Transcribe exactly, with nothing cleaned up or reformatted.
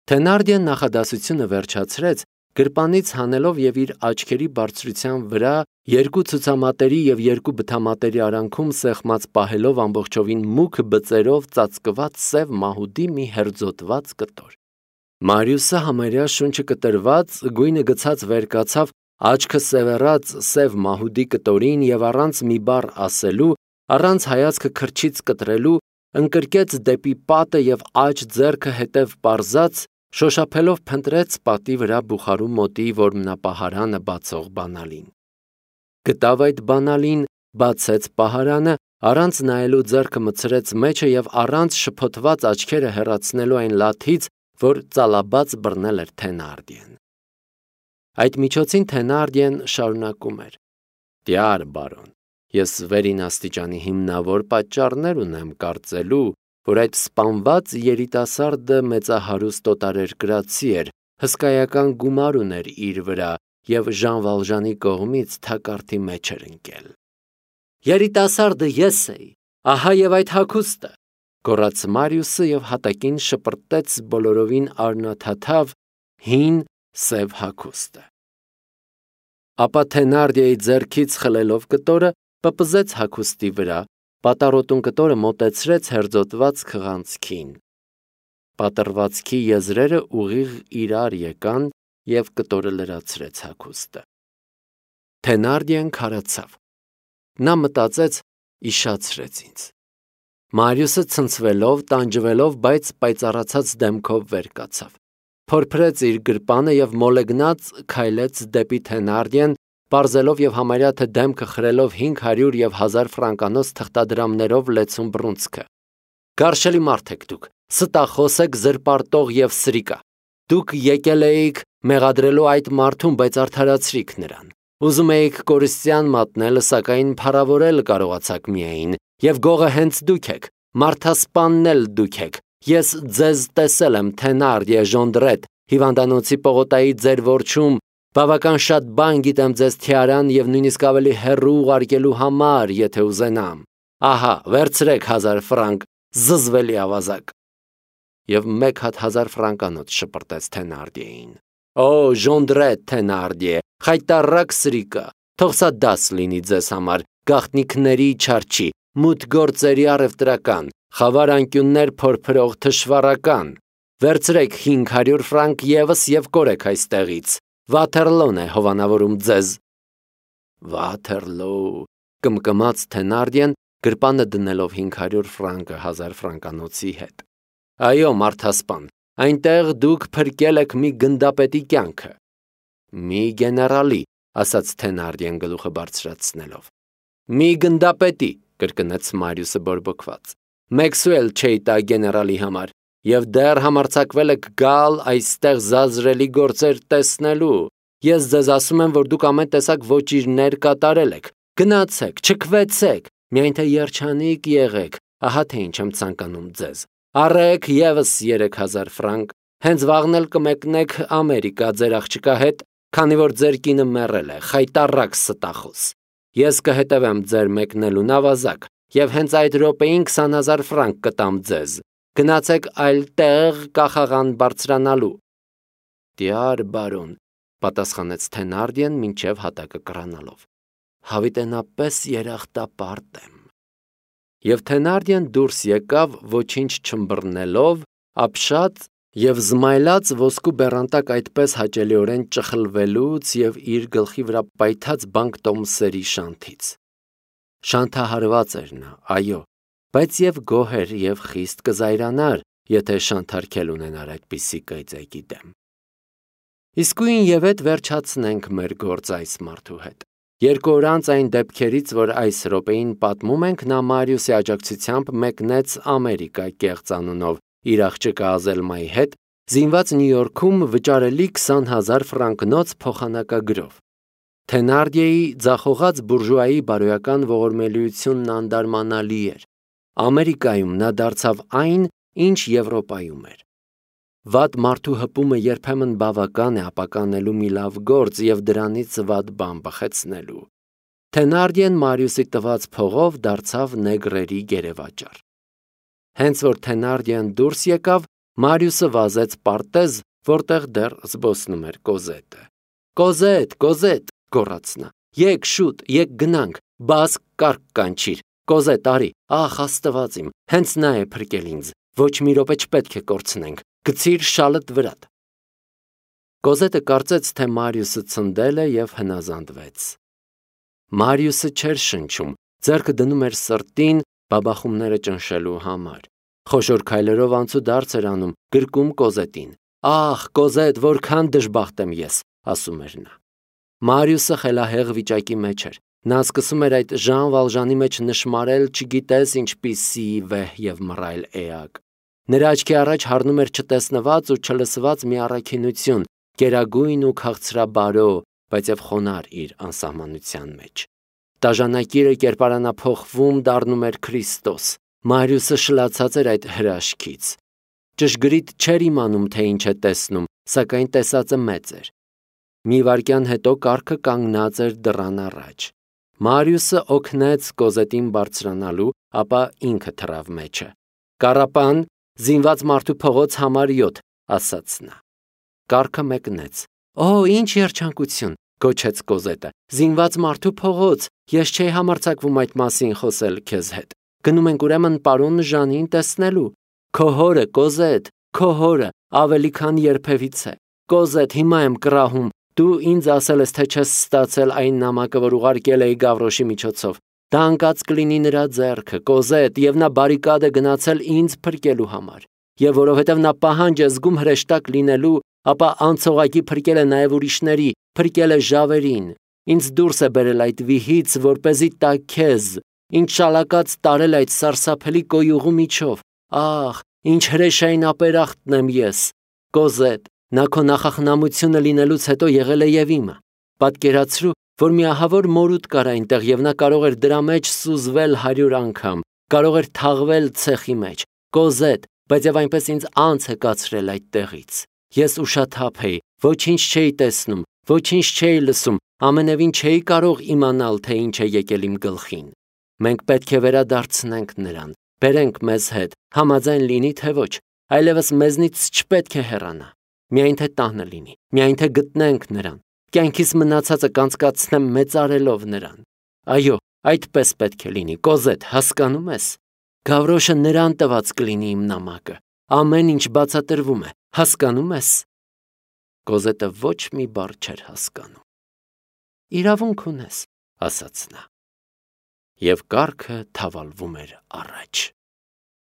Թենարդիեն նախադասությունը վերջացրեց, գրպանից հանելով և իր աչքերի բարձրության վրա երկու ցուցամատերի և երկու բթամատերի արանքում սեղմած պահելով ամբողջովին մուգ բծերով ծածկված սև մահուդի մի հերձոտված կտոր։ Մարիուսը համարյա շունչը կտրված, գույնը գցած վեր կացավ, աչքը սևեռած սև մահուդի կտորին և առանց մի բառ ասելու, առանց հայացքը քրջից կտրելու, ընկրկեց դեպի պատը և աջ ձեռքը հետև պարզած, շոշափելով փնտրեց պատի վրա բուխարու մոտի որմնապահարանը բացող բանալին։ Գտավ այդ բանալին, բացեց պահարանը, առանց նայելու ձեռքը մտցրեց մեջը և առանց շփոթված աչքերը հեռացնելու այն լաթից, որ ծալաբաց բռնել էր Թենարդիեն։ Այդ միջոցին Թենարդիեն շարունակում էր. «Տյար բարոն, ես վերին աստիճանի հիմնավոր պատճառներ ունեմ կարծելու, որ այդ սպանված երիտասարդը մեծահարուստ օտարերկրացի էր, հսկայական գումար ուներ իր վրա և Ժան Վալժանի կողմից թակարդի մեջ էր ընկել»։ «Երիտասարդը ես էի, ահա և այդ հագուստը», գոռաց Մարիուսը և հատակին շպրտեց բոլորովին արյունաթաթավ հին սև հագուստը։ Ապա Թենարդիեի ձեռքից խլելով կտորը, պպզեց հագուստի վրա, պատառոտուն կտորը մոտեցրեց հերձոտված քղանցքին։ Պատռվածքի եզրերը ուղիղ իրար եկան և կտորը լրացրեց հագուստը։ Թենարդիեն քարացավ։ Նա մտածեց, իշխացրեց ինձ։ Մարիուսը ցնցվելով, տանջվելով, բայց պայծառացած դեմքով վեր կացավ, փորփրեց իր գրպանը և մոլեգնած քայլեց դեպի Թենարդիեն, պարզելով և համարյա թե դեմքը խրելով հինգ հարյուր և հազար ֆրանկանոց թղթադրամներով լեցուն բռունցքը։ «Գարշելի մարդ եք դուք, ստախոս եք, զրպարտող և սրիկա։ Դուք եկել էիք մեղադրելու այդ մարդուն, բայց արդարացրիք նրան։ Ուզում էիք կորստյան մատնել, սակայն փառավորել կարողացաք միայն, և գողը հենց դուք եք, մարդասպանն էլ դուք եք։ Ես ձեզ տեսել եմ Թենարդիե Ժոնդրետ հիվանդանոցի պողոտայի ձեր որջում, բավական շատ բան գիտեմ ձեզ թյարան և նույնիսկ ավելի հեռու ուղարկելու համար, եթե ուզենամ։ Ահա, վերցրեք հազար ֆրանկ, զզվելի ավազակ»։ Եվ մեկ հատ հազար ֆրանկանոց շպրտեց Թենարդիեին։ «Օ, Ժոնդրետ Թենարդիե, խայտառակ սրիկա, թող սա դաս լինի ձեզ համար, գաղտնիքների չարչի, մութ գործերի առևտրական, խավար անկյուններ փորփրող թշվառական։ Վերցրեք հինգ հարյուր ֆրանկ ևս և կորեք այստեղից։ Վաթերլոն է հովանավորում ձեզ»։ Վաթերլո, կմկմաց Թենարդիեն, գրպանը դնելով հինգ հարյուր ֆրանկը հազար ֆրանկանոցի հետ։ Այո, մարդասպան, այնտեղ դուք փրկել եք մի գնդապետի կյանքը։ Մի գեներալի, ասաց Թենարդիեն գլուխը բարձրացնելով։ Մի գնդապետի, կրկնեց Մարիուսը բորբոքված։ Մեկսու էլ չէի տա գեներալի համար, և դեռ համարձակվել եք գալ այստեղ զազրելի գործեր տեսնելու։ Ես ձեզ ասում եմ, որ դուք ամեն տեսակ ոճիրներ կատարել եք։ Գնացեք, չքվեցեք, միայն թե երջանիկ եղեք, ահա թե ինչ եմ ցանկանում ձեզ։ Առեք ևս երեք հազար ֆրանկ, հենց վաղն էլ կմեկնեք Ամերիկա ձեր աղջկա հետ, քանի որ ձեր կինը մեռել է, խայտառակ ստախոս։ Ես կհետևեմ ձեր մեկնելուն ավազակ, և հենց այդ րոպեին քսան հազար ֆրանկ կտամ ձեզ։ Գնացեք այլ տեղ կախաղան բարձրանալու։ Տյար բարոն, պատասխանեց Թենարդիեն մինչև հատակը կռանալով։ Հավիտենապես երախտապարտ եմ։ Եվ Թենարդիեն դուրս եկավ ոչինչ չըմբռնելով, ապշած և զմայլած ոսկու բեռանտակ այդպես հաճելիորեն ճխլվելուց և իր գլխի վրա պայթած բանկտոմսերի շանթից։ Շանթահարված էր նա, այո, բայց և գոհ էր և խիստ կզայրանար, եթե շանթարքել ունենար այդպիսի կայծակի դեմ։ Իսկույն և էդ վերջացնենք մեր գործ այս մարդու հետ։ Երկու օր անց այն դեպքերից, որ այս րոպեին պատմում ենք, նա Մարիուսի աջակցությամբ մեկնեց Ամերիկա կեղծ անունով իր աղջկա Ազելմայի հետ, զինված Նյու Յորքում վճարելի քսան հազար ֆրանկնոց փոխանակագրով։ Թենարդիեի ձախողած բուրժուայի բարոյական ողորմելիությունն անդարմանալի էր։ Ամերիկայում նա դարձավ այն, ինչ Եվրոպայում էր։ Վատ մարդու հպումը երբեմն բավական է ապականելու մի լավ գործ և դրանից վատ բան բխեցնելու։ Թենարդիեն Մարիուսի տված փողով դարձավ նեգրերի գերեվաճառ։ Հենց որ Թենարդիեն դուրս եկավ, Մարիուսը վազեց պարտեզ, որտեղ դեռ զբոսնում էր Կոզետը։ «Կոզետ, Կոզետ», գոռաց նա, «եկ շուտ, եկ գնանք, բաս կառք կանչիր, Կոզետ արի, ախ Աստված իմ, հենց նա է փրկել ինձ, ոչ մի րոպե չպետք է կորցնենք, գցիր շալդ վրատ»։ Կոզետը կարծեց, թե Մարիուսը ցնդել է և հնազանդվեց։ Մարիուսը չէր շնչում, ձեռքը դնում էր սրտին բաբախումները ճնշելու համար։ Խոշոր քայլերով անցուդարձ էր անում, գրկում Կոզետին։ «Ախ, Կոզետ, որքան դժբախտ եմ ես», ասում էր նա։ Մարիուսը խելահեղ վիճակի մեջ էր։ Նա սկսում էր այդ Ժան Վալժանի մեջ նշմարել չգիտես ինչպիսի վեհ և մռայլ էակ։ Նրա աչքի առաջ հառնում էր չտեսնված ու չլսված մի առաքինություն, գերագույն ու քաղցրաբարո, բայց և խոնարհ իր անսահմանության մեջ։ Տաժանակիրը կերպարանափոխվում դառնում էր Քրիստոս։ Մարիուսը շլացած էր այդ հրաշքից։ Ճշգրիտ չէր իմանում, թե ինչ է տեսնում, սակայն տեսածը մեծ էր։ Մի վայրկյան հետո կառքը կանգնած էր դռան առաջ։ Մարիուսը օգնեց Կոզետին բարձրանալու, ապա ինքը թռավ մեջը։ «Կառապան, զինված մարդու փողոց համար յոթ», ասաց նա։ Կառքը մեկնեց։ «Օ, ինչ երջանկություն», գոչեց Կոզետը, «զինված մարդու փողոց, ես չէի համարձակվում այդ մասին խոսել քեզ հետ։ Գնում ենք ուրեմն պարոն Ժանին տեսնելու։ Քո հորը, Կոզետ, քո հորը, ավելի քան երբևիցե։ Կոզետ, հիմա եմ կռահում, դու ինձ ասել ես, թե չես ստացել այն նամակը, որ ուղարկել էի Գավրոշի միջոցով։ Դա ընկած կլինի նրա ձեռքը, Կոզետ, և նա բարիկադ է գնացել ինձ փրկելու համար։ Եվ որովհետև նա պահանջ է զգում հրեշտակ լինելու, ապա անցողակի փրկել է նաև ուրիշների, փրկել է ժավերին։ Ինձ դուրս է բերել այդ վիհից, որպեսզի տա քեզ, ինչ շալակած տարել այդ սարսափելի կոյուղու միջով։ Ախ, ինչ հրեշային ապերախտն եմ ես։ Կոզետ, նա քո նախախնամությունը լինելուց հետո եղել է և իմը։ Պատկերացրու, որ մի ահավոր մորուք կար այնտեղ, և նա կարող էր դրա մեջ սուզվել հարյուր անգամ, կարող էր թաղվել ցեխի մեջ։ Կոզետ, բայց և այնպես ինձ անց է կացրել այդ տեղից։ Ես ուշաթափ էի, ոչինչ չէի տեսնում, ոչինչ չէի լսում, ամենևին չէի կարող իմանալ, թե ինչ է եկել իմ գլխին։ Մենք պետք է վերադարձնենք նրան, բերենք մեզ հետ, համաձայն լինի, թե ոչ, այլևս մեզնից չպետք է հեռանա։ Միայն թե տանը լինի, միայն թե գտնենք նրան, կյանքիս մնացածը կանցկացնեմ մեծարելով նրան։ Այո, այդպես պետք է լինի, Կոզետ, հասկանում ես։ Գավրոշը նրան տված կլինի իմ նամակը, ամեն ինչ բացատրվում է, հասկանում ես։ Կոզետը ոչ մի բառ չէր հասկանում։ Իրավունք ունես, ասաց նա։ Եվ կառքը թավալվում էր առաջ։